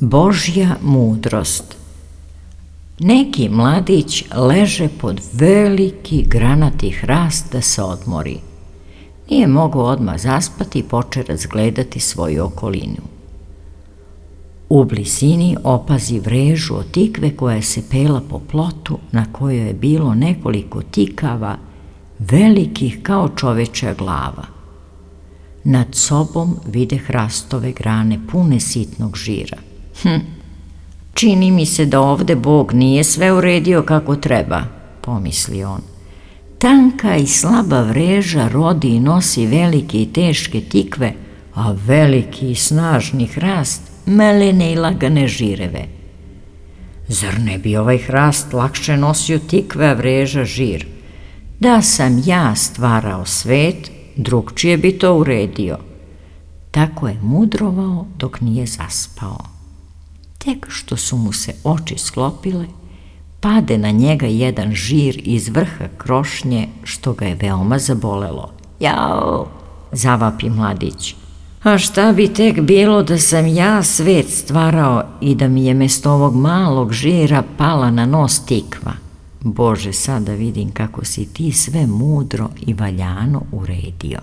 Božja mudrost. Neki mladić leže pod veliki granati hrast da se odmori. Nije mogao odmah zaspati i poče razgledati svoju okolinu. U blizini opazi vrežu od tikve koja se pela po plotu na kojoj je bilo nekoliko tikava velikih kao čovečja glava. Nad sobom vide hrastove grane pune sitnog žira. Čini mi se da ovde Bog nije sve uredio kako treba, pomisli on. Tanka i slaba vreža rodi i nosi velike i teške tikve, a veliki i snažni hrast melene i lagane žireve. Zar ne bi ovaj hrast lakše nosio tikve, a vreža žir? Da sam ja stvarao svet, drugčije bi to uredio. Tako je mudrovao dok nije zaspao. Tek što su mu se oči sklopile, pade na njega jedan žir iz vrha krošnje, što ga je veoma zabolelo. Jao, zavapi mladić. A šta bi tek bilo da sam ja svet stvarao i da mi je mesto ovog malog žira pala na nos tikva? Bože, sada vidim kako si ti sve mudro i valjano uredio.